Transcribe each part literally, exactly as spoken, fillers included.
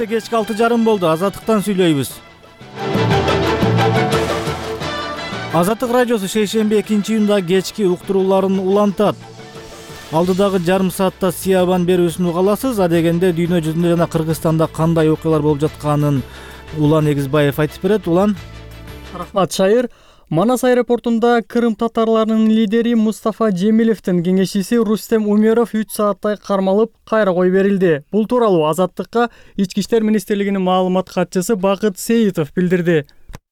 Саатта кечки алты жарым болду. Азаттыктан сүйлөйбүз. Азаттык радиосу шейшемби экинчи июнда кечки уктурууларын улантат. Алдыдагы жарым саатта Сиябан берүүсүн угаласыз. Адегенде дүйнө жүзүндө жана Кыргызстанда кандай окуялар болуп жатканын Улан Эгизбаев айтып берет. Улан. Рахмат, Шайыр. Манас аэропортунда Кырым татарларынын лидери Мустафа Жемилевдин кеңешчиси Рустем Умеров үч сааттай кармалып, кайра коюп берилди. Бул тууралуу Азаттыкка Ички иштер министрлигинин маалымат катчысы Бакыт Сейитов билдирди.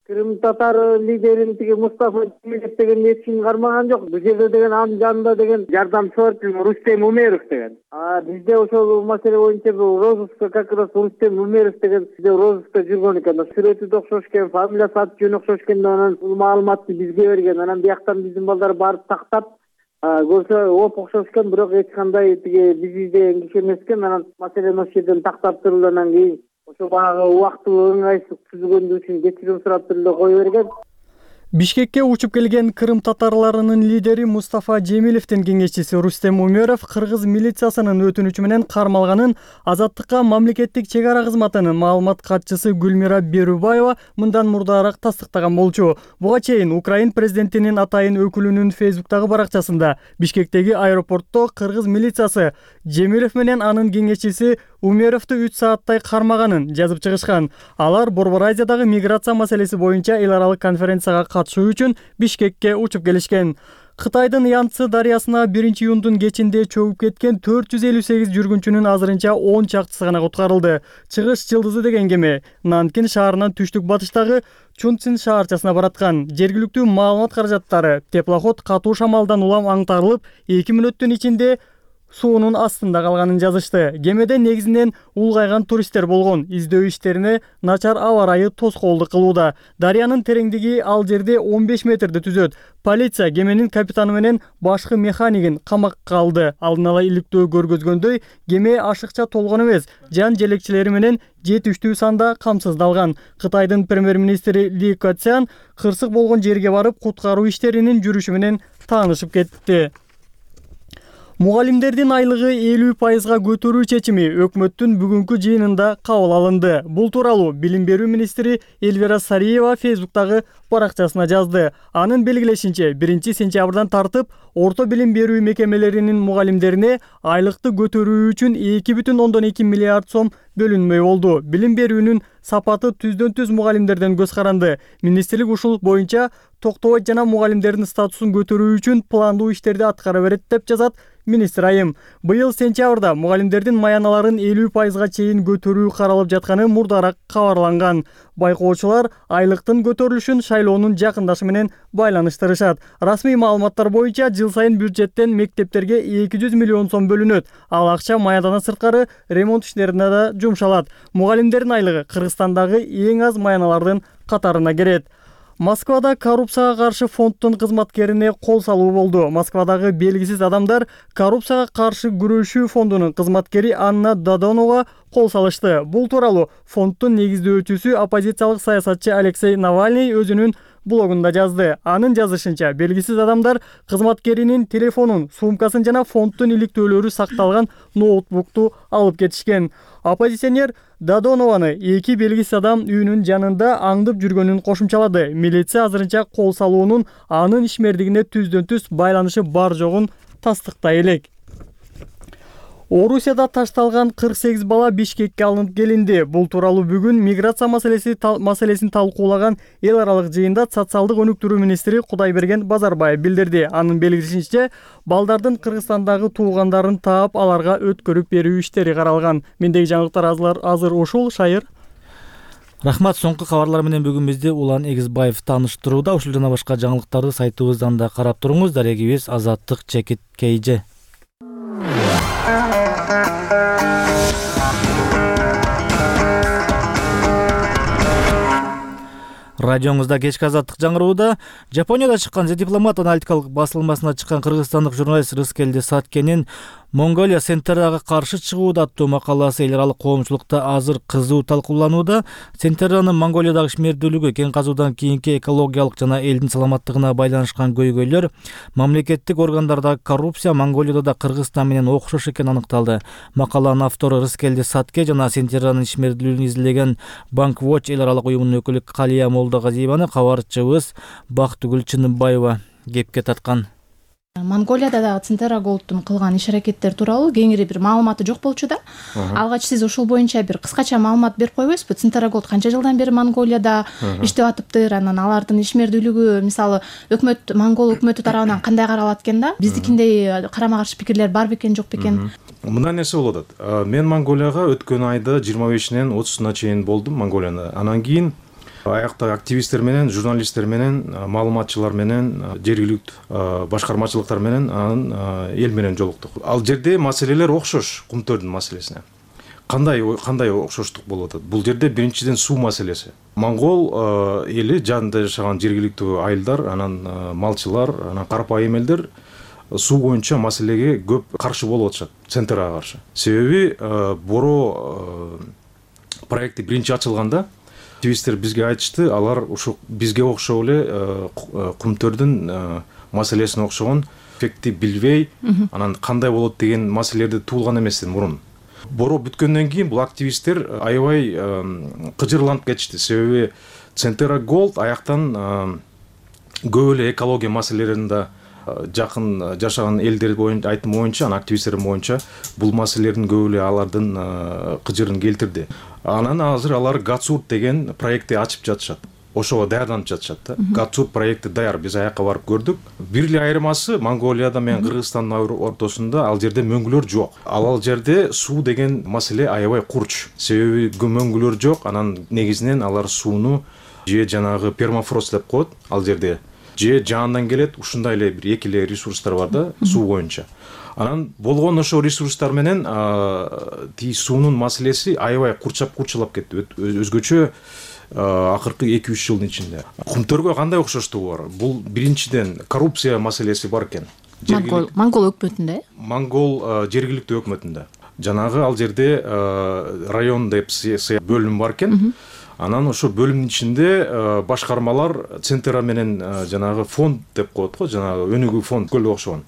Кырым татар лидерин тиги Мустафа Жемилев деген эч ким кармаган жок. Бул жерде деген анын жанында деген жардамчы бар, Рустем Умеров деген. А бизде ошол маселе боюнча розыска как раз Рустем Умеров деген бизде розыска жүргөн экен. Сүрөтү да окшош экен, фамилиясы аты жөнү окшош экен, анан бул маалыматты бизге берген. Анан бияктан биздин балдар барып тактап көрсө оп окшош экен, бирок эч кандай тиги биз издеген киши эмес экен. Анан маселени ошол жерден тактап туруп анан кийин ошо баягы убактылуу ыңгайсыздык түзүлгөнү үчүн кечирим сурап туруп эле кое берген. Бишкекке учуп келген Кырым татарларынын лидери Мустафа Жемилевдин кеңешчиси Рустем Умеров кыргыз милициясынын өтүнүчү менен кармалганын Азаттыкка мамлекеттик чек ара кызматынын маалымат катчысы Гүлмира Берубаева мындан мурдараак тастыктаган болчу. Буга чейин Украин президентинин атайын өкүлүнүн Фейсбуктагы баракчасында Бишкектеги аэропортто кыргыз милициясы Жемилев менен анын кеңешчиси Умеровду үч сааттай кармаганын жазып чыгышкан. Алар Борбор Азиядагы миграция маселеси боюнча эл аралык конференцияга катышуу үчүн Бишкекке учуп келишкен. Кытайдын Янцзы дарыясына биринчи июндун кечинде чөгүп кеткен төрт жүз элүү сегиз жүргүнчүнүн азырынча он чактысы гана куткарылды. Чыгыш Жылдызы деген кеме Нанкин шаарынан түштүк батыштагы Чунцин шаарчасына бараткан. Жергиликтүү маалымат каражаттары теплоход катуу шамалдан улам аңтарылып, эки мүнөттүн ичинде суунун астында калганын жазышты. Кемеде негизинен улгайган туристтер болгон. Издөө иштерине начар аба ырайы тоскоолдук кылууда. Дарыянын тереңдиги ал жерде он беш метрди түзөт. Полиция кеменин капитаны менен башкы механикин камакка алды. Алдын ала иликтөө көргөзгөндөй, кеме ашыкча толгон эмес, жан желекчилери менен жетиштүү санда камсыздалган. Кытайдын премьер-министри Ли Кэцян кырсык болгон жерге барып, куткаруу иштеринин жүрүшү менен таанышып кетти. Мугалимдердин айлыгы элүү пайызга көтөрүү чечими өкмөттүн бүгүнкү жыйынында кабыл алынды. Бул тууралуу Билим берүү министри Эльвира Сариева Фейсбуктагы баракчасына жазды. Анын белгилешинче, биринчи сентябрдан тартып орто билим берүү мекемелеринин мугалимдерине айлыкты көтөрүү үчүн эки бүтүн ондон эки миллиард сом бөлүнмөй болду. Билим берүүнүн сапаты түздөн түз мугалимдерден көз каранды. Министрлик ушул боюнча токтобойт жана мугалимдердин статусун көтөрүү үчүн пландуу иштерди аткара берет деп жазат министр айым. Быйыл сентябрда мугалимдердин маяналарын элүү пайызга чейин көтөрүү каралып жатканы мурдараак кабарланган. Байкоочулар айлыктын көтөрүлүшүн шайлоонун жакындашы менен байланыштырышат. Расмий маалыматтар боюнча жыл сайын бюджеттен мектептерге эки жүз миллион сом бөлүнөт. Ал акча маядан сырткары ремонт иштерине да жумшалат. Мугалимдердин айлыгы Кыргызстандагы эң аз маяналардын катарына кирет. Москвада коррупцияга каршы фонддун кызматкерине кол салуу болду. Москвадагы белгисиз адамдар коррупцияга каршы күрөшүү фондунун кызматкери Анна Додонова кол салышты. Бул тууралуу фонддун негиздөөчүсү оппозициялык саясатчы Алексей Навальный өзүнүн блогунда жазды. Анын жазышынча, белгисиз адамдар кызматкеринин телефонун, сумкасын жана фонддун иликтөөлөрү сакталган ноутбукту алып кетишкен. Оппозиционер Додонованы эки белгисиз адам үйүнүн жанында аңдып жүргөнүн кошумчалады. Милиция азырынча кол салуунун анын ишмердигине түздөн түз байланышы бар жогун тастыктай элек. Орусияда ташталган кырк сегиз бала Бишкекке алынып келинди. Бул тууралуу бүгүн миграция маселеси маселесин талкуулаган эл аралык жыйында социалдык өнүктүрүү министри Кудайберген Базарбаев билдирди. Анын белгилешинче, балдардын Кыргызстандагы туугандарын таап, аларга өткөрүп берүү иштери каралган. Мендеги жаңылыктар азыр ушул. Шайыр. Рахмат. Соңку кабарлар менен бүгүн бизди Улан Эгизбаев тааныштырууда. Ушул жана башка жаңылыктарды сайтыбыздан да карап туруңуз. Дарегибиз Азаттык чекит кейже. Радиоңузда кечки азаттык жаңырууда. Жапонияда чыккан The Diplomat аналитикалык басылмасына чыккан кыргызстандык журналист Рыскелди Саткенин Монголия Центерага каршы чыгууда аттуу макаласы эл аралык коомчулукта азыр кызуу талкууланууда. Центеранын Монголиядагы ишмердүүлүгү, кен казуудан кийинки экологиялык жана элдин саламаттыгына байланышкан көйгөйлөр, мамлекеттик органдардагы коррупция Монголияда да Кыргызстан менен окшош экени аныкталды. Макаланын автору Рыскелди Сатке жана Центеранын ишмердүүлүгүн изилдеген Bank Watch эл аралык уюмунун өкүлү Калия Молдогазиеваны кабарчыбыз Бактыгүл Чыныбаева кепке тарткан. Монголияда дагы Центера Голдтун кылган иш-аракеттер тууралуу кеңири бир маалыматы жок болчу да. Алгач сиз ушул боюнча бир кыскача маалымат берип койбойсузбу? Центера Голд канча жылдан бери Монголияда иштеп атыптыр, анан алардын ишмердүүлүгү, мисалы, өкмөт, монгол өкмөтү тарабынан кандай каралат экен да? Биздикиндей карама-каршы пикирлер бар бекен, жок бекен? Мындай нерсе болуп атат. Мен Монголияга өткөн айда жыйырма бешинен отузуна чейин болдум Монголияда. Анан кийин аякта активисттер менен, журналисттер менен, маалыматчылар менен, жергиликтүү башкармачылыктар менен, анан эл менен жолуктук. Ал жерде маселелер окшош кумтөрдүн маселесине. Кандай кандай окшоштук болуп атат? Бул жерде биринчиден суу маселеси. Монгол эли жанында жашаган жергиликтүү айылдар, анан малчылар, анан карапайым элдер суу боюнча маселеге көп каршы болуп атышат, Центерага каршы. Себеби Боро проекти биринчи ачылганда активисттер бизге айтышты, алар ушу бизге окшоп эле кумтөрдүн маселесине окшогон эффектти билбей, анан кандай болот деген маселелерди туулган эмес мурун. Боро бүткөндөн кийин бул активисттер аябай кыжырланып кетишти. Себеби Центера Голд аяктан көп эле экология маселелеринде жакын жашаган элдер боюнча айтым боюнча, анан активисттер боюнча бул маселелердин көп эле алардын кыжырын келтирди. Анан азыр алар Гацурт деген проектти ачып жатышат. Ошого даярданып жатышат да. Гацурт проекти даяр, биз аякка барып көрдүк. Бир эле айырмасы Монголияда менен Кыргызстандын ортосунда ал жерде мөңгүлөр жок. Ал ал жерде суу деген маселе аябай курч. Себеби мөңгүлөр жок, анан негизинен алар сууну же жанагы пермафрост деп коет ал жерде. Же жаандан келет, ушундай эле бир эки эле ресурстар бар да суу боюнча. Анан болгон ошо ресурстар менен тиги суунун маселеси аябай курчап курчалап кетти. Өзгөчө акыркы эки үч жылдын ичинде. Кумтөргө кандай окшоштугу бар? Бул биринчиден коррупция маселеси бар экен. Монгол Монгол өкмөтүндө? Монгол жергиликтүү өкмөтүндө. Жанагы ал жерде район деп бөлүм бар экен. Анан ошо бөлүмдүн ичинде башкармалар Центера менен жанагы фонд деп коет го, жанагы өнүгүү фонд көлө окшогон.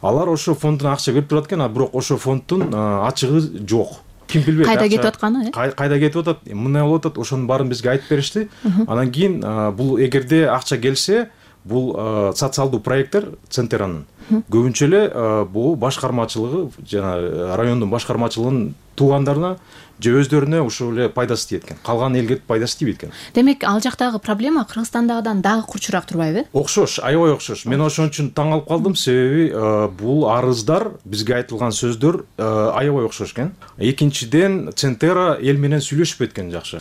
Алар ошо фонддон акча берип турат экен, а бирок ошо фонддун ачыгы жок. Ким билбейт кайда кетип атканы, э? Кайда кетип атат? Мындай болуп атат, ошонун баарын бизге айтып беришти. Анан кийин бул эгерде акча келсе, бул социалдуу проекттер Центеранын көбүнчө эле бул башкармачылыгы, жана райондун башкармачылыгынын туугандарына же өздөрүнө ушул эле пайдасы тиет экен. Калган элге пайдасы тийбейт экен. Демек, ал жактагы проблема Кыргызстандагыдан дагы курчураак турбайбы? Окшош, аябай окшош. Мен ошон үчүн таң калып калдым, себеби бул арыздар, бизге айтылган сөздөр аябай окшош экен. Экинчиден, Центера эл менен сүйлөшүп кеткен жакшы.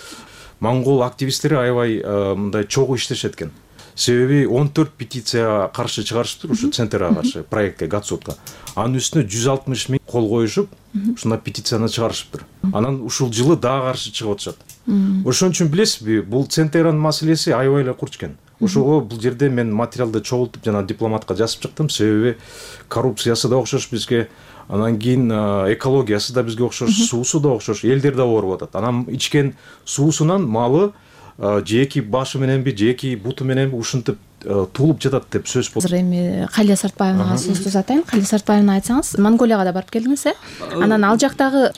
Монгол активисттери аябай мындай чогуу иштешет экен. Себеби он төрт петиция каршы чыгарышыптыр ушу Центерага каршы проектке, Гацуртка. Анын үстүнө жүз алтымыш миң кол коюшуп, ушундай петицияны чыгарышыптыр. Анан ушул жылы дагы каршы чыгып атышат. Ошон үчүн билесизби, бул Центеранын маселеси аябай эле курч экен. Ошого бул жерде мен материалды чогултуп жана дипломатка жазып чыктым, себеби коррупциясы да окшош бизге, анан кийин экологиясы да бизге окшош, суусу да окшош, элдер да ооруп атат. Анан ичкен суусунан малы же эки башы мененби, же эки буту мененби ушинтип туулуп жатат деп сөз болду. Азыр эми Калия Сартбаевага сөздү uzatайын. Калия Сартбаевна, айтсаңыз, Монголияга да барып келдиңиз, э? Анан ал жактагы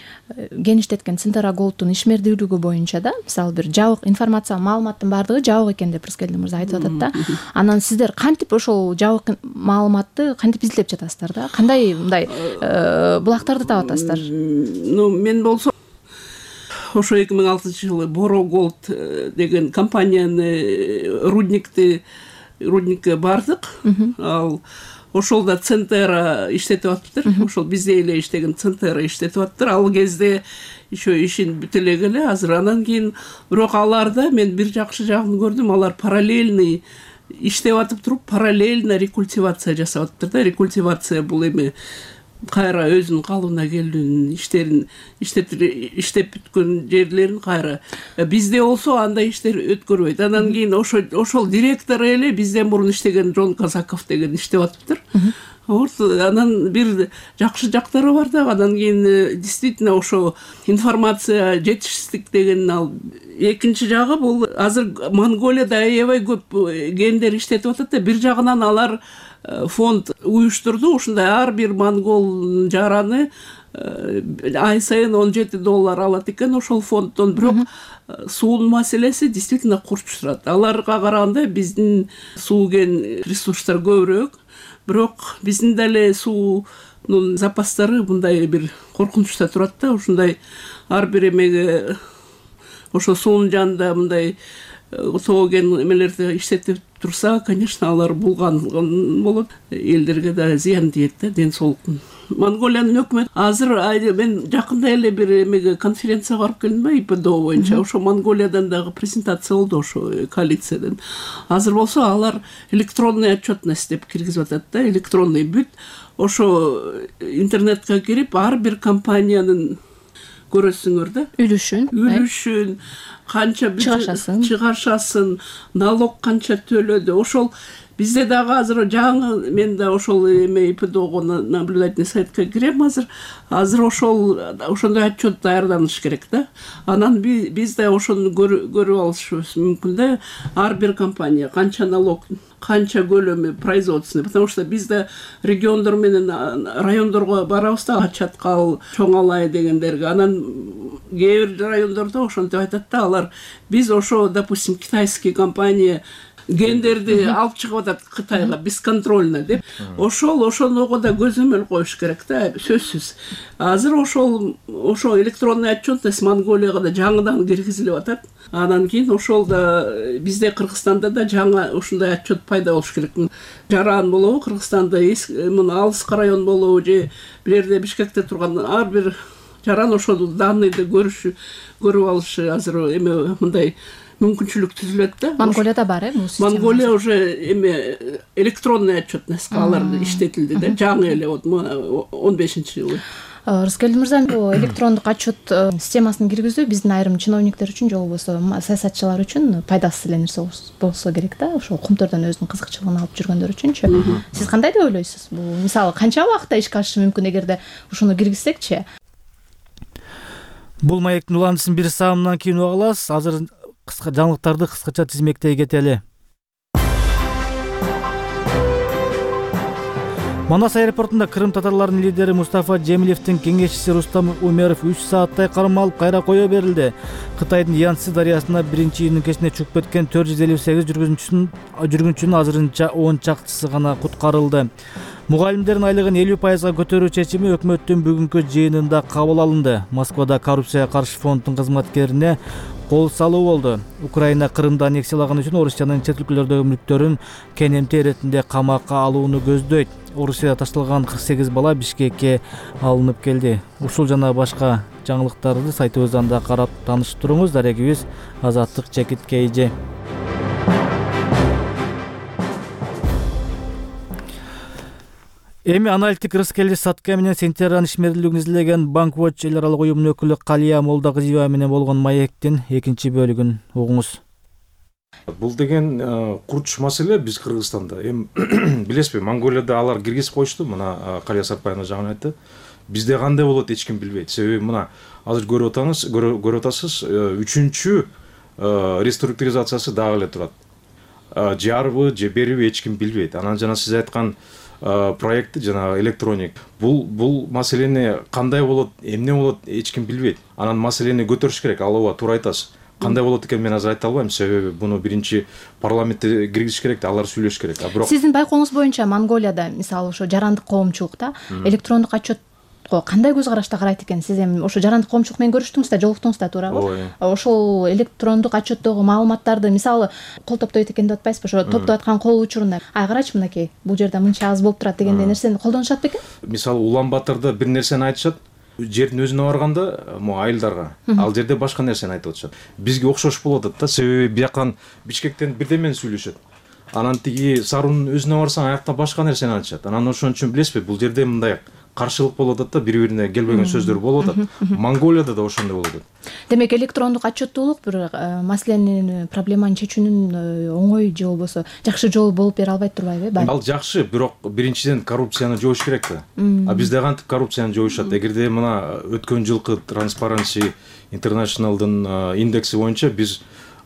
кеңиштеткен Центера Голдтун ишмердүүлүгү боюнча да, мисалы бир жабык информация, маалыматтын бардыгы жабык экен деп Рыскелди мырза айтып атат да. Анан сиздер кантип ошол жабык маалыматты кантип изилдеп жатасыздар да? Кандай мындай булактарды таап атасыздар? Ну, мен болсо ошо эки миң алтынчы жылы Боро Голд деген компанияны рудникти рудникке бардык. Ал ошолда Центера иштетип атыптыр. Ошол бизде эле иштеген Центера иштетип атыптыр. Ал кезде еще ишин бүтө эле, азыр анан кийин бирок аларда мен бир жакшы жагын көрдүм. Алар параллельный иштеп атып туруп, параллельно рекультивация жасап атыптыр да. Рекультивация бул эми кайра өзүнүн калыбына келүүнүн иштерин иштеп иштеп бүткөн жерлерин кайра. Бизде болсо андай иштер өткөрбөйт. Анан кийин ошо ошол директор эле бизден мурун иштеген Жон Казаков деген иштеп атыптыр. Вот анан бир жакшы жактары бар да. Анан кийин действительно ошо информация жетишсиздик деген ал. Экинчи жагы бул азыр Монголияда аябай көп гендер иштетип атат да. Бир жагынан алар фонд уюштурду. Ушундай ар бир монгол жараны ай сайын он жети доллар алат экен ошол фонддон. Бирок суунун маселеси действительно курчуп турат. Аларга караганда биздин суу кен ресурстар көбүрөөк. Бирок биздин деле суунун запастары мындай бир коркунучта турат да. Ушундай ар бир эмеге ошо суунун жанында мындай тоо кен эмелерди иштетип турса, конечно, алар булган болот. Элдерге да зыян тиет да, ден соолуктун. Монголиянын өкмөтү азыр мен жакында эле бир эмеге конференцияга барып келдим да, ИПДО боюнча. Ошо Монголиядан дагы презентация болду ошо коалициядан. Азыр болсо алар электронный отчетность деп киргизип атат да, электронный бүт. Ошо интернетке кирип ар бир компаниянын көрөсүңөр да. Үлүшүн. Үлүшүн, канча чыгашасын, чыгашасын, налог канча төлөдү. Ошол бизде дагы азыр жаңы мен да ошол эме ИПДОго наблюдательный сайтка кирем азыр. Азыр ошол ошондой отчет даярданыш керек да. Анан биз да ошону көрүп алышыбыз мүмкүн да. Ар бир компания канча налог, канча көлөмү производственный, потому что бизде региондор менен райондорго барабыз да, Чаткал, Чоң Алай дегендерге. Анан кээ бир райондордо ошентип айтат да, алар биз ошо, допустим, китайский компания гендерди алып чыгып атат Кытайга бесконтрольно деп. Ошол ошонго да көзөмөл коюш керек да, сөзсүз. Азыр ошол ошо электронный отчетность Монголияга да жаңыдан киргизилип атат. Анан кийин ошол да бизде Кыргызстанда да жаңа ушундай отчет пайда болуш керек. Жаран болобу Кыргызстанда, мына алыска район болобу же бир жерде Бишкекте турган ар бир жаран ошол данныйды көрүшү, көрүп алышы азыр эме мындай мүмкүнчүлүк түзүлөт да. Монголияда бар э бул система. Монголия уже эме электронный отчетность алар иштетилди да, жаңы эле вот он бешинчи жылы. Рыскелди мырза, бул электрондук отчет системасын киргизүү биздин айрым чиновниктер үчүн же болбосо саясатчылар үчүн пайдасыз эле нерсе болсо керек да. Ошо кумтордон өзүнүн кызыкчылыгын алып жүргөндөр үчүнчү. Сиз кандай деп ойлойсуз? Бул мисалы канча убакытта ишке ашышы мүмкүн эгерде ушуну киргизсекчи? Бул маектин уландысын бир саамынан кийин уга аласыз. Азыр кыска жаңылыктарды кыскача тизмектей кетели. Манас аэропортунда Крым татарларынын лидери Мустафа Жемилевдин кеңешчиси Рустам Умеров үч сааттай кармалып кайра кое берилди. Кытайдын Янцзы дарыясына биринчи июнүн кечинде чыгып кеткен төрт жүз элүү сегиз жүргүнчүнүн жүргүнчүнүн азырынча он чактысы гана куткарылды. Мугалимдердин айлыгын элүү пайызга көтөрүү чечими өкмөттүн бүгүнкү жыйынында кабыл алынды. Москвада коррупцияга каршы фонддун кызматкерине кол салуу болду. Украина Крымды аннексиялаган үчүн Орусиянын чет өлкөлөрдөгү мүлктөрүн кенемте иретинде камакка алууну көздөйт. Орусияда ташталган кырк сегиз бала Бишкекке алынып келди. Ушул жана башка жаңылыктарды сайтыбыздан да карап таанышып туруңуз. Дарегибиз Азаттык Чекит Кейже. Эми аналитик Рыскелди Сатка менен Сентябрь ишмердүүлүгүн изилеген Bank Watch эл аралык уюмунун өкүлү Калия Молдагызиева менен болгон маектин экинчи бөлүгүн угуңуз. Бул деген курч маселе биз Кыргызстанда. Эми билесизби, Монголияда алар киргизип коюшту, мына Калия Сатпаевна жаңы айтты. Бизде кандай болот эч ким билбейт. Себеби мына азыр көрүп атасыз, көрүп атасыз, үчүнчү реструктуризациясы дагы эле турат. Жарбы, же бериби эч ким билбейт. Анан жана сиз айткан проекти жана электроник бул бул маселени кандай болот, эмне болот эч ким билбейт. Анан маселени көтөрүш керек. Ал ооба туура айтасыз. Кандай болот экен мен азыр айта албайм, себеби буну биринчи парламентте киргизиш керек, алар сүйлөш керек. А бирок сиздин байкооңуз боюнча Монголияда мисалы ошо жарандык коомчулукта электрондук отчет кандай көз карашта карайт экен? Сиз эми ошо жарандык коомчулук менен көрүштүңүз да, жолуктуңуз да, туурабы? Ошол электрондук отчеттогу маалыматтарды мисалы кол топтойт экен деп атпайсызбы? Ошо топтоп аткан кол учурунда ай карачы мынакей, бул жерде мынча аз болуп турат дегендей нерсени колдонушат бекен? Мисалы Улан Батырда бир нерсени айтышат, жердин өзүнө барганда мо айылдарга ал жерде башка нерсени айтып атышат. Бизге окшош болуп атат да, себеби бияктан Бишкектен бирдемени сүйлөшөт. Анан тиги Сарунун өзүнө барсаң аякта башка нерсени айтышат. Анан ошон үчүн билесизби, бул жерде мындай каршылык болуп атат да, бири бирине келбеген сөздөр болуп атат. Монголияда да ошондой болуп атат. Демек электрондук отчеттуулук бир маселени, проблеманы чечүүнүн оңой же болбосо жакшы жолу болуп бере албайт турбайбы? Ал жакшы, бирок биринчиден коррупцияны жоюш керек да. А бизде кантип коррупцияны жоюшат? Эгерде мына өткөн жылкы Transparency International'дын индекси боюнча биз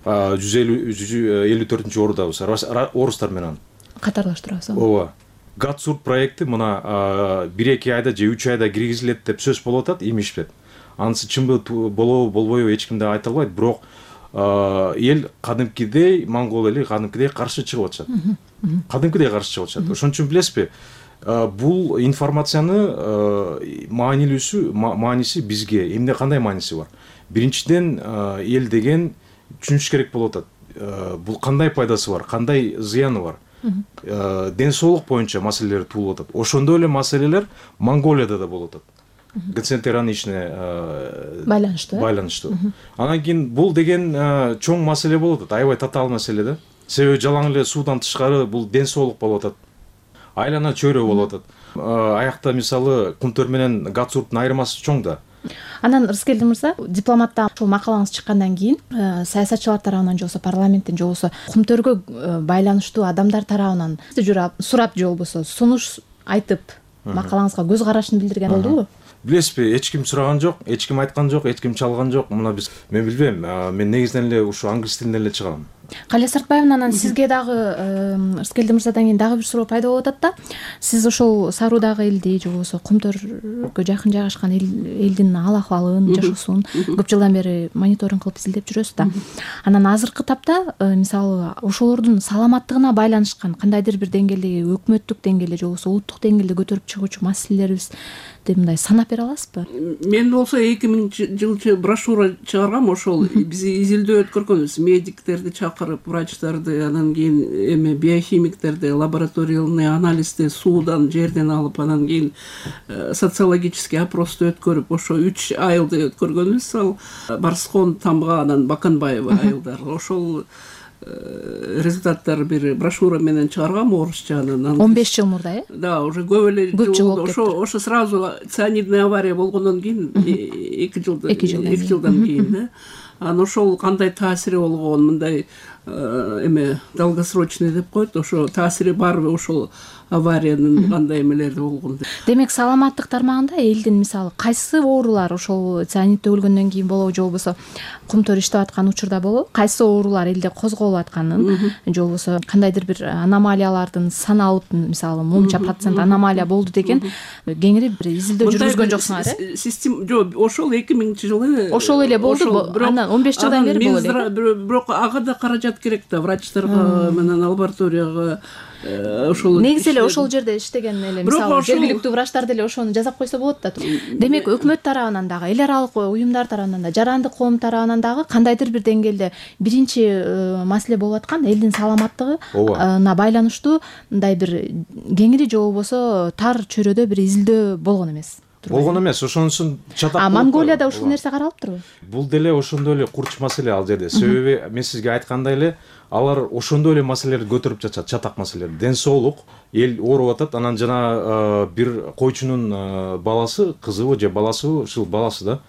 жүз элүү төртүнчү ордабыз орустар менен катарлаштырабыз. Ооба. Гатсурт проекти мына бир эки айда же үч айда киргизилет деп сөз болуп атат, имишпет. Анысы чынбы болобу болбойбу эч ким да айта албайт, бирок эл кадимкидей, монгол эли кадимкидей каршы чыгып атышат. Кадимкидей каршы чыгып атышат. Ошон үчүн билесизби, бул информацияны маанилүүсү, мааниси бизге эмне кандай мааниси бар? Биринчиден эл деген түшүнүш керек болуп атат. Бул кандай пайдасы бар, кандай зыяны бар? Ден соолук боюнча маселелер туулуп атат. Ошондой эле маселелер Монголияда да болуп атат. Децентрализмне байланыштуу. Байланыштуу. Анан кийин бул деген чоң маселе болуп атат, аябай татаал маселе да. Себеби жалаң эле суудан тышкары бул ден соолук болуп атат. Айлана чөйрө болуп атат. Аякта мисалы Кумтөр менен Гатсурттун айырмасы чоң да. Анан Рыскелди мырза, дипломатта ушул макалаңыз чыккандан кийин саясатчылар тарабынан же болбосо парламенттин же болбосо Кумтөргө байланыштуу адамдар тарабынан журап, сурап же болбосо сунуш айтып макалаңызга көз карашын билдирген болдубу? Билесизби, эч ким сураган жок, эч ким айткан жок, эч ким чалган жок. Мына биз, мен билбейм, мен негизинен эле ушу англис тилинен эле чыгам. Калия Сартбаевна, анан сизге дагы Рыскелди мырзадан кийин дагы бир суроо пайда болуп атат да. Сиз ошол Саруудагы элди же болбосо Кумтөргө жакын жайгашкан элдин ал акыбалын, жашоосун көп жылдан бери мониторинг кылып изилдеп жүрөсүз да. Анан азыркы тапта мисалы ошолордун саламаттыгына байланышкан кандайдыр бир деңгээлдеги өкмөттүк деңгээлде же болбосо улуттук деңгээлде көтөрүп чыгуучу маселелерибиз деп мындай санап бере аласызбы? Мен болсо эки миңинчи жылчы брошюра чыгаргам, ошол биз изилдөө өткөргөнбүз. Медиктерди чакырып, врачтарды, анан кийин эме биохимиктерди, лабораторияльный анализди суудан, жерден алып, анан кийин социологический опросту өткөрүп, ошо үч айылды өткөргөнбүз. Ал Барскон, Тамга, анан Баканбаева айылдар. Ошол результаттар бир брошюра менен чыгаргам орусча. он беш жыл мурда, э? Да, уже көп эле жыл. Ошо ошо сразу цианидный авария болгондон кийин эки жылдан эки жылдан кийин да. Анан ошол кандай таасири болгон, мындай эме долгосрочный деп коет, ошо таасири барбы ошол авариянын кандай эмелери болгон деп. Демек саламаттык тармагында элдин мисалы кайсы оорулар ошол цианидде өлгөндөн кийин болобу же болбосо Кумтөр иштеп аткан учурда болобу, кайсы оорулар элде козголуп атканын же болбосо кандайдыр бир аномалиялардын саналып, мисалы мынча процент аномалия болду деген кеңири бир изилдөө жүргүзгөн жоксуңар, э? Система жок, ошол эки миңинчи жылы ошол эле болду, анан он беш жылдан бери болот эле. Бирок ага да каражат керек да, врачтарга менен лабораторияга. Ошол негизи эле ошол жерде иштеген эле мисалы жергиликтүү врачтар деле ошону жасап койсо болот да. Демек өкмөт тарабынан дагы, эл аралык уюмдар тарабынан да, жарандык коом тарабынан дагы кандайдыр бир деңгээлде биринчи маселе болуп аткан элдин саламаттыгына байланыштуу мындай бир кеңири же болбосо тар чөйрөдө бир изилдөө болгон эмес. Болгон эмес, ошонусун чатак. А Монголияда ушул нерсе каралыптырбы? Бул деле ошондой эле курч маселе ал жерде. Себеби мен сизге айткандай эле алар ошондой эле маселелерди көтөрүп жатышат, чатак маселелер. Ден соолук, эл ооруп атат, анан жана бир койчунун баласы, кызыбы же баласыбы, ушул баласы да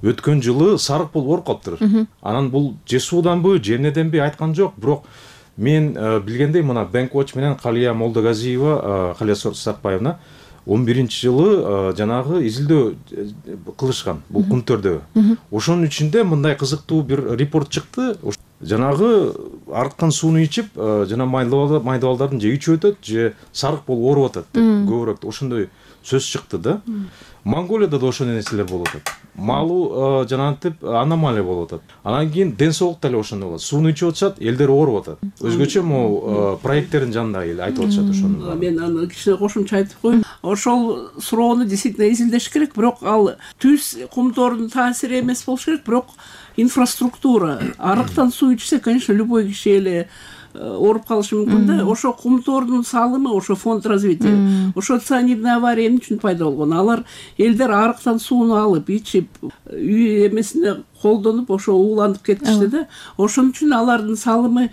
өткөн жылы сарык болуп ооруп калыптыр. Анан бул же сууданбы, же эмнеденби айткан жок, бирок мен билгендей мына Бенкоч менен Калия Молдогазиева, Калия Сартбаевна он биринчи жылы жанагы изилдөө кылышкан бул Кумтөрдө. Ошонун ичинде мындай кызыктуу бир репорт чыкты. Жанагы арткан сууну ичип, жана майдабалдардын же ичип өтөт, же сарык болуп ооруп атат деп көбүрөөк ошондой сөз чыкты да. Монголияда да ошондой нерселер болуп атат. Малуу жанагынтип аномалия болуп атат. Анан кийин ден соолук деле ошондой болот. Сууну ичип атышат, элдер ооруп атат. Өзгөчө могу проекттердин жанында эл айтып атышат ошону. Мен аны кичине кошумча айтып коеюн. Ошол суроону действительно изилдеш керек, бирок ал түз Кумтордун таасири эмес болуш керек, бирок инфраструктура. Арыктан суу ичсе, конечно, любой киши эле ооруп калышы мүмкүн да. Ошо Кумтордун салымы, ошо фонд развития, ошо цианидный авария эмне үчүн пайда болгон? Алар элдер арыктан сууну алып, ичип, үй эмесине колдонуп, ошо ууланып кетишти да. Ошон үчүн алардын салымы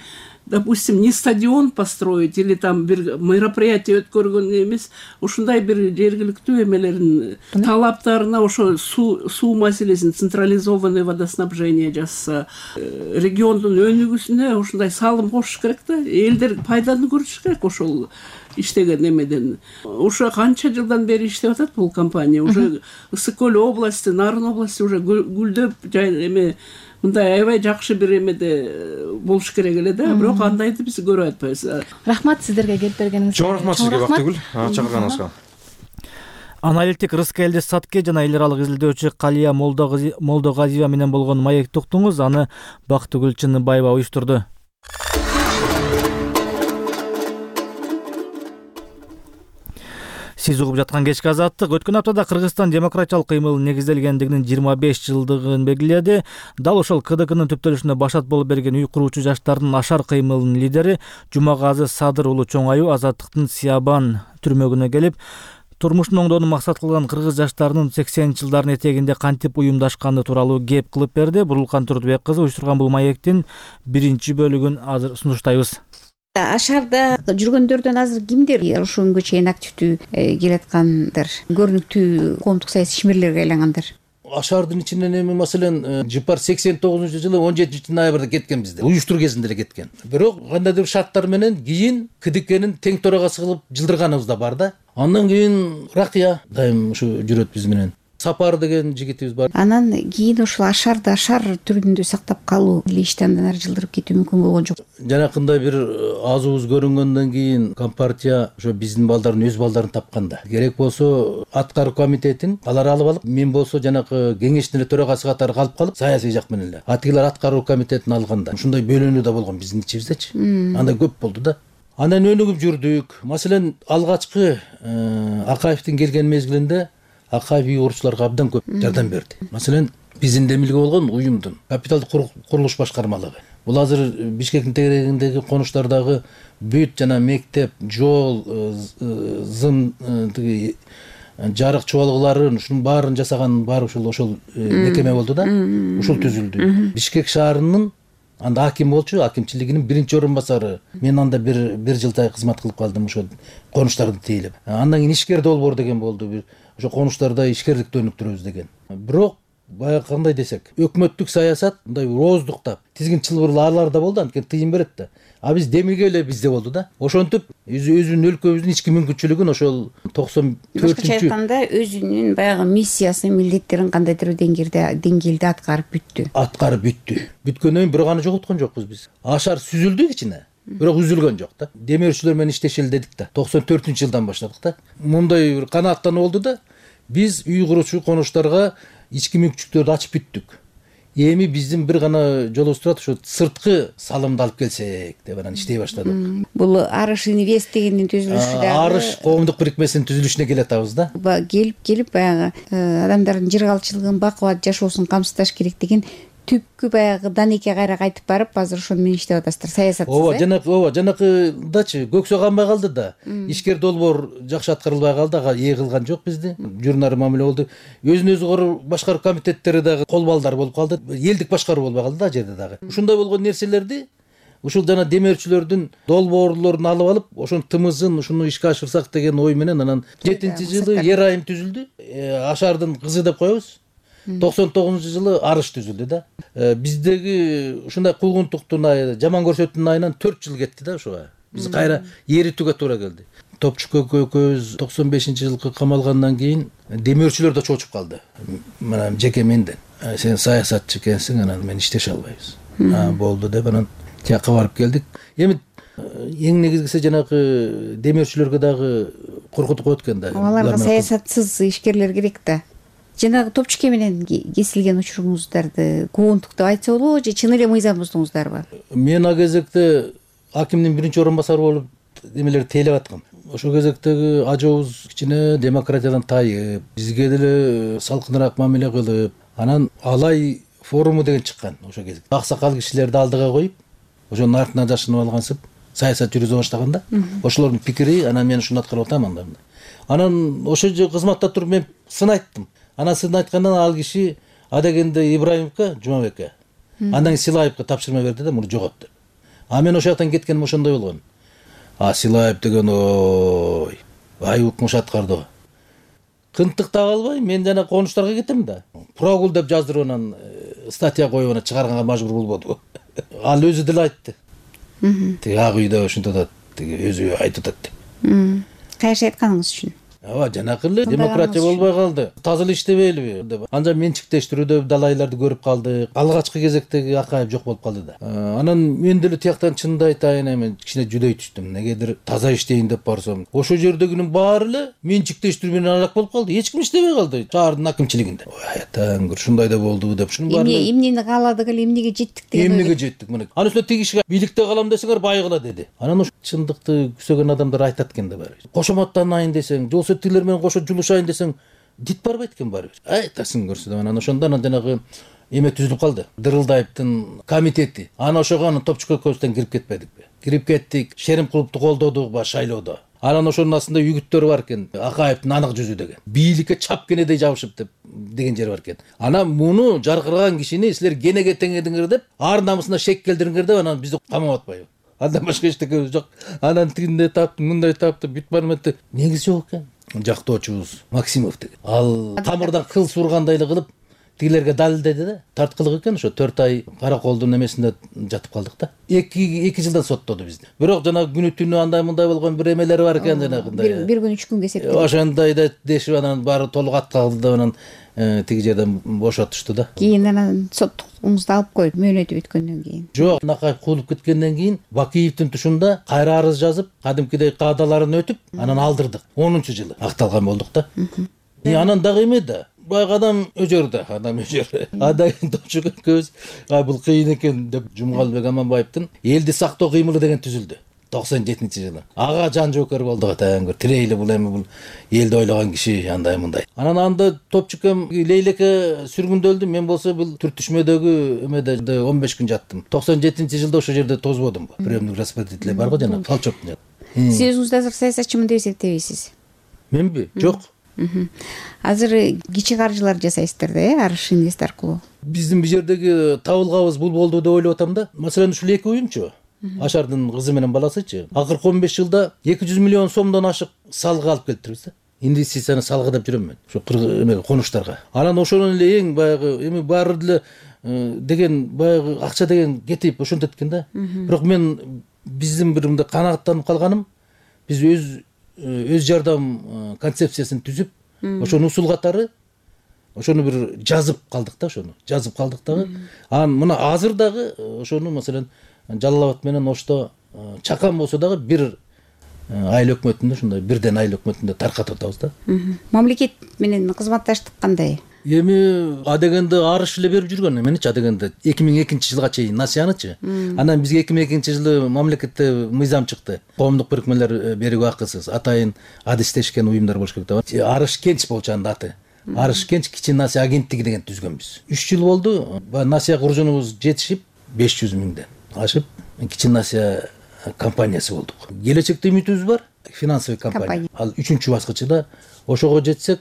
допустим, не стадион построить или там бир мероприятие өткөргөн эмес, ушундай бир жергиликтүү эмелерин талаптарына ошо суу суу маселесин централизованный водоснабжение жасаса, региондун өнүгүүсүнө ушундай салым кошуш керек да. Элдер пайданы көрүш керек ошол иштеген эмеден. Ушу канча жылдан бери иштеп атат бул компания. Уже Ысык Көл области, Нарын области уже гүлдөп эме мындай аябай жакшы бир эмеде болуш керек эле да. Бирок андайды биз көрүп атпайбыз. Рахмат сиздерге келип бергениңизге. Чоң рахмат сизге Бактыгүл, чакырганыңызга. Аналитик Рыска Элдес Сатке жана эл аралык изилдөөчү Калия Молдогазиева менен болгон маекти уктуңуз. Аны Бактыгүл Чыныбаева уюштурду. Сиз угуп жаткан кечки азаттык өткөн аптада Кыргызстан демократиялык кыймылын негизделгендигинин жыйырма беш жылдыгын белгиледи. Дал ошол КДКнын түптөлүшүнө башат болуп берген үй куруучу жаштардын Ашар кыймылынын лидери Жумагазы Садыр уулу Чоңаю Азаттыктын Сиябан түрмөгүнө келип, турмушун оңдоону максат кылган кыргыз жаштарынын сексенинчи жылдардын этегинде кантип уюмдашканы тууралуу кеп кылып берди. Бурулкан Турдубек кызы уюштурган бул маектин биринчи бөлүгүн азыр сунуштайбыз. Ашарда жүргөндөрдөн азыр кимдер ошол күнгө чейин активдүү келаткандар, көрүнүктүү коомдук саясий ишмерлерге айлангандар? Ашардын ичинен эми маселен Жыпар сексен тогузунчу жылы он жетинчи ноябрда кеткен бизде. Уюштуруу кезинде эле кеткен. Бирок кандайдыр шарттар менен кийин КДКнын тең төрагасы кылып жылдырганыбыз да бар да. Андан кийин Ракыя дайым ушу жүрөт биз менен. Сапар деген жигитибиз бар. Анан кийин ошол Ашарды Ашар түрүндө сактап калуу эле ишти андан ары жылдырып кетүү мүмкүн болгон жок. Жанакындай бир азыбыз көрүнгөндөн кийин Компартия ошо биздин балдардын өз балдарын тапканда. Керек болсо аткаруу комитетин алар алып алып, мен болсо жанакы кеңештин эле төрагасы катары калып калып, саясий жак менен эле. Атилер аткаруу комитетин алганда. Ушундай бөлүнүү да болгон биздин ичибиздечи. Андай көп болду да. Андан өнүгүп жүрдүк. Маселен, алгачкы Акаевдин келген мезгилинде Акаев үй куруучуларга абдан көп жардам берди. Маселен, биздин демилге болгон уюмдун капиталдык курулуш башкармалыгы. Бул азыр Бишкектин тегерегиндеги конуштардагы бүт жана мектеп, жол, зым, тиги жарык чуалгыларын, ушунун баарын жасаган баары ушул ошол мекеме болду да. Ушул түзүлдү. Бишкек шаарынын анда аким болчу, акимчилигинин биринчи орун басары. Мен анда бир бир жылдай кызмат кылып калдым ошол конуштарды тейлеп. Андан кийин ишкер долбоор деген болду. Ошо конуштарда ишкерликти өнүктүрөбүз деген. Бирок баягы кандай десек, өкмөттүк саясат мындай ооздуктап, тизгин чылбырлаарлар да болду, анткени тыйын берет да. А биз демилге эле бизде болду да. Ошентип өзүнүн өлкөбүздүн ички мүмкүнчүлүгүн ошол токсон төртүнчү башкача айтканда өзүнүн баягы миссиясын, милдеттерин кандайдыр деңгээлде деңгээлде аткарып бүттү. Аткарып бүттү. Бүткөндөн кийин бирок аны жоготкон жокпуз биз. Ашар сүзүлдү кичине. Бирок үзүлгөн жок да. Демөөрчүлөр менен иштешели дедик да. токсон төртүнчү жылдан баштадык да. Мындай бир канааттануу болду да. Биз үй куруучу конуштарга ички мүмкүнчүлүктөрдү ачып бүттүк. Эми биздин бир гана жолубуз турат, ошо сырткы салымды алып келсек деп анан иштей баштадык. Бул Арыш инвест дегендин түзүлүшү да. Арыш коомдук бирикмесинин түзүлүшүнө келатабыз да. Келип келип баягы адамдардын жыргалчылыгын, бакубат жашоосун камсыздаш керек деген түпкү баягы Данеке кайра кайтып барып, азыр ошону менен иштеп атасыздар, саясатсыз. Ооба, жанакы, ооба, жанакыдачы көксө канбай калды да. Ишкер долбоор жакшы аткарылбай калды, ага ээ кылган жок бизди. Журнары мамиле болду. Өзүн өзү башкаруу комитеттери дагы кол балдар болуп калды. Элдик башкаруу болбой калды да жерде дагы. Ушундай болгон нерселерди ушул жана демөөрчүлөрдүн долбоорлорун алып алып, ошонун тымызын ушуну ишке ашырсак деген ой менен анан жетинчи жылы Ер айым түзүлдү. Ашардын кызы деп коебуз. токсон тогузунчу жылы Арыш түзүлдү да. Биздеги ушундай куугунтуктун айы, жаман көрсөтүүнүн айынан төрт жыл кетти да ошого. Биз кайра эритүүгө туура келди. Топчук көкөз токсон бешинчи жылкы камалгандан кийин демөөрчүлөр да чочуп калды. Мына жеке менден. Сен саясатчы экенсиң, анан мен иштеше албайбыз. Болду деп анан тияка барып келдик. Эми эң негизгиси жанагы демөөрчүлөргө дагы коркутуп коет экен да. Аларга саясатсыз ишкерлер керек да. Жанагы Топчуке менен кесилген учуруңуздарды куугунтук деп айтса болобу же чын эле мыйзам буздуңуздарбы? Мен а кезекте акимдин биринчи орун басары болуп эмелерди тейлеп аткам. Ошол кезектеги ажообуз кичине демократиядан тайып, бизге деле салкыныраак мамиле кылып, анан Алай форуму деген чыккан ошол кезде. Аксакал кишилерди алдыга коюп, ошонун артынан жашынып алгансып, саясат жүргүзө баштаган да. Ошолордун пикири, анан мен ушуну аткарып атам анда. Анан ошо кызматта туруп мен сын айттым. Анан сын айткандан ал киши адегенде Ибраимовго, Жумабекке, андан Силаевге тапшырма берди да, муну жогот деп. А мен ошол жактан кеткеним ошондой болгон. А Силаев деген ой ай укмуш аткарды. Кынтык таба албай мен жана конуштарга кетем да. Прогул деп жаздырып анан статья коюп анан чыгарганга мажбур болбоду. Ал өзү деле айтты. Тиги ак үйдө ушинтип атат, тиги өзү айтып атат. Кайсы айтканыңыз үчүн? Ооба, жанакы эле демократия болбой калды. Таза эле иштебейбиби деп. Анан менчиктештирүүдө далайларды көрүп калдык. Алгачкы кезектеги Акаев жок болуп калды да. Анан мен деле тияктан чынды айтайын, эми кичине жүдөй түштүм. Негедир таза иштейин деп барсам, ошол жердегинин баары эле менчиктештирүү менен алак болуп калды. Эч ким иштебей калды шаардын акимчилигинде. Ой, атаңгыр, ушундай да болду деп ушунун баары. Эмне эмнени кааладык эле, эмнеге жеттик деген. Эмнеге жеттик мына. Анан үстүнө тиги кишиге бийликте калам десеңер байгыла деди. Анан ошо чындыкты күзөгөн адамдар айтат экен да баары. Кошоматтанайын десең, болсо тилер менен кошо жулушайын десең, дит барбайт экен баары. Айтасың көрсө деп анан ошондо анан жанагы эме түзүлүп калды. Дырылдаевдин комитети. Анан ошого анан топчук экөөбүздөн кирип кетпедикпи? Кирип кеттик, Шеримкуловду колдодук ба шайлоодо. Анан ошонун астында үгүттөр бар экен. Акаевдин анык жүзү деген. Бийликке чап кенедей жабышып деп деген жер бар экен. Анан муну жаркыраган кишини силер кенеге теңедиңер деп, ар намысына шек келдириңер деп анан бизди камап атпайбы? Андан башка эчтеке жок. Анан тигинде таптым, мындай таптым, бүт барметти. Негизи жок экен. Жактоочубуз Максимов деген. Ал тамырдан кыл сургандай эле кылып тигилерге далилдеди да. Тарткылык экен, ошо төрт ай караколдун эмесинде жатып калдык да. эки эки жылдан соттоду бизди. Бирок жана күнү түнү андай мындай болгон бир эмелери бар экен жанагындай. Бир күн үч күнгө эсептелди. Ошондой да дешип анан баары толук аткалды деп анан тиги жерден бошотушту да. Кийин анан соттугуңузду алып коюп мөөнөтү бүткөндөн кийин. Жок, Накаев куулуп кеткенден кийин Бакиевдин тушунда кайра арыз жазып, кадимкидей каадаларын өтүп, анан алдырдык. онунчу жылы акталган болдук да. И анан дагы эме да. Баягы адам өжөр да, адам өжөр. Адай топчук экөөбүз, ай бул кыйын экен деп Жумгалбек Аманбаевдин элди сактоо кыймылы деген түзүлдү. токсон жетинчи жылы. Ага жан жоокер болдук атаңгыр. Тирейли бул эми бул элди ойлогон киши андай мындай. Анан анда топчукем Лейлеке сүргүндөлдү. Мен болсо бул түртүшмөдөгү эмеде он беш күн жаттым. токсон жетинчи жылда ошол жерде тозбодум. Приемдик распределитель бар го жана Колчоктун. Сиз өзүңүздү азыр саясатчымын деп эсептебейсиз? Менби? Жок. Азыр кичи каржылар жасайсыздар да, э, Арыш Инвест аркылуу. Биздин бул жердеги табылгабыз бул болду деп ойлоп атам да. Маселен ушул эки уюмчу, Ашардын кызы менен баласычы, акыркы он беш жылда эки жүз миллион сомдон ашык салга алып келиптирбиз да. Инвестицияны салга деп жүрөм мен. Ушу эмеге конуштарга. Анан ошонун эле эң баягы эми баары деле деген баягы акча деген кетип ошентет экен да. Бирок мен биздин бир мындай канааттанып калганым, биз өз өз жардам концепциясын түзүп, ошону усул катары ошону бир жазып калдык да, ошону жазып калдык дагы. Анан мына азыр дагы ошону маселен Жалал Абад менен Ошто чакан болсо дагы бир айыл өкмөтүндө ушундай бирден айыл өкмөтүндө таркатып атабыз да. Мамлекет менен кызматташтык кандай? Эми адегенде Арыш эле берип жүргөн эменичи, адегенде эки миң экинчи жылга чейин насыянычы. Анан бизге эки миң экинчи жылы мамлекетте мыйзам чыкты. Коомдук бирикмелер берүүгө акысыз, атайын адистешкен уюмдар болуш керек деп. Арыш Кенч болчу анда аты. Арыш Кенч кичи насыя агенттиги деген түзгөнбүз. үч жыл болду. Насыя куржунубуз жетишип беш жүз миңден ашып кичи насыя компаниясы болдук. Келечекте үмүтүбүз бар, финансовый компания. Ал үчүнчү баскычында ошого жетсек,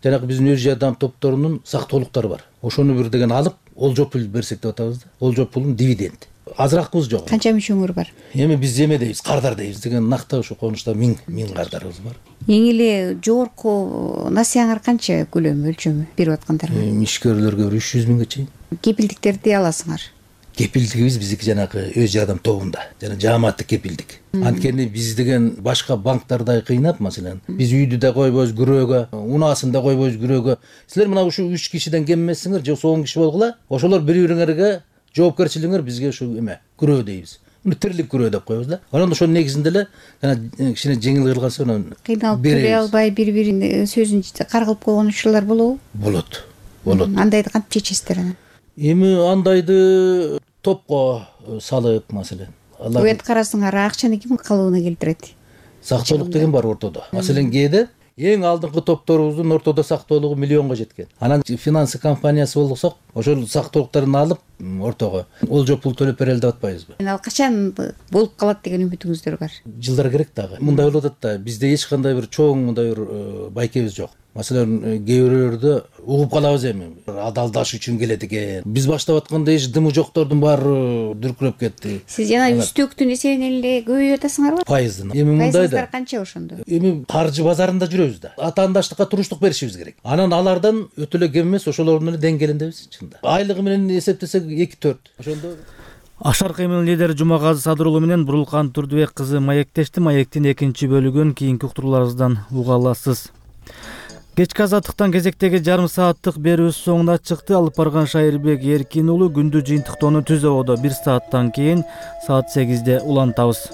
жанагы биздин өз жардам топторунун сактоолуктары бар. Ошону бир деген алып, олжо пул берсек деп атабыз да. Олжо пулун дивиденд. Азыракыбыз жок. Канча мүчөңөр бар? Эми биз эме дейбиз, кардар дейбиз деген накта ошо конушта миң миң кардарыбыз бар. Эң эле жогорку насыяңар канча көлөмү, өлчөмү берип аткандарга? Ишкерлерге үч жүз миңге чейин. Кепилдиктерди аласыңар? Кепилдигибиз биздики жанагы өз жардам тобунда, жана жааматтык кепилдик. Анткени биз деген башка банктардай кыйнап, маселен, биз үйдү да койбойбуз күрөөгө, унаасын да койбойбуз күрөөгө. Силер мына ушу үч кишиден кем эмессиңер, же он киши болгула, ошолор бири-бириңерге жоопкерчилигиңер бизге ушу эме, күрөө дейбиз. Муну тирлик күрөө деп коебуз да. Анан ошонун негизинде эле жана кичине жеңил кылганса анан кыйналып бере албай бири-биринин сөзүн каргылып койгон учурлар болобу? Болот. Болот. Андайды кантип чечесиздер анан? Эми андайды топко салып, маселен. Өйт карасыңар, акчаны ким калыбына келтирет? Сактоолук деген бар ортодо. Маселен кээде эң алдыңкы топторубуздун ортодо сактоолугу миллионго жеткен. Анан финансы компаниясы болсок, ошол сактоолуктарын алып ортого олжо пул төлөп берели деп атпайбызбы? Ал качан болуп калат деген үмүтүңүздөр бар? Жылдар керек дагы. Мындай болуп атат да, бизде эч кандай бир чоң мындай бир байкебиз жок. Маселен, кээ бирөөлөрдө угуп калабыз эми, адалдаш үчүн келет экен. Биз баштап атканда эч дымы жоктордун баары дүркүрөп кетти. Сиз жана үстөктүн эсебинен эле көбөйүп атасыңарбы? Пайыздын. Эми мындай да. Пайызыңыздар канча ошондо? Эми каржы базарында жүрөбүз да. Атаандаштыкка туруштук беришибиз керек. Анан алардан өтө эле кем эмес, ошолордун эле деңгээлиндебиз чында. Айлыгы менен эсептесек эки төрт. Ошондо Ашар кыймыл лидери Жумагазы Садырулу менен Бурулкан Турдубек кызы маектешти. Маектин экинчи бөлүгүн кийинки уктурууларыбыздан уга аласыз. Кечки азаттыктан кезектеги жарым сааттык берүүбүз соңуна чыкты. Алып барган Шайырбек Эркин уулу күндү жыйынтыктоону түз абада бир сааттан кийин саат сегизде улантабыз.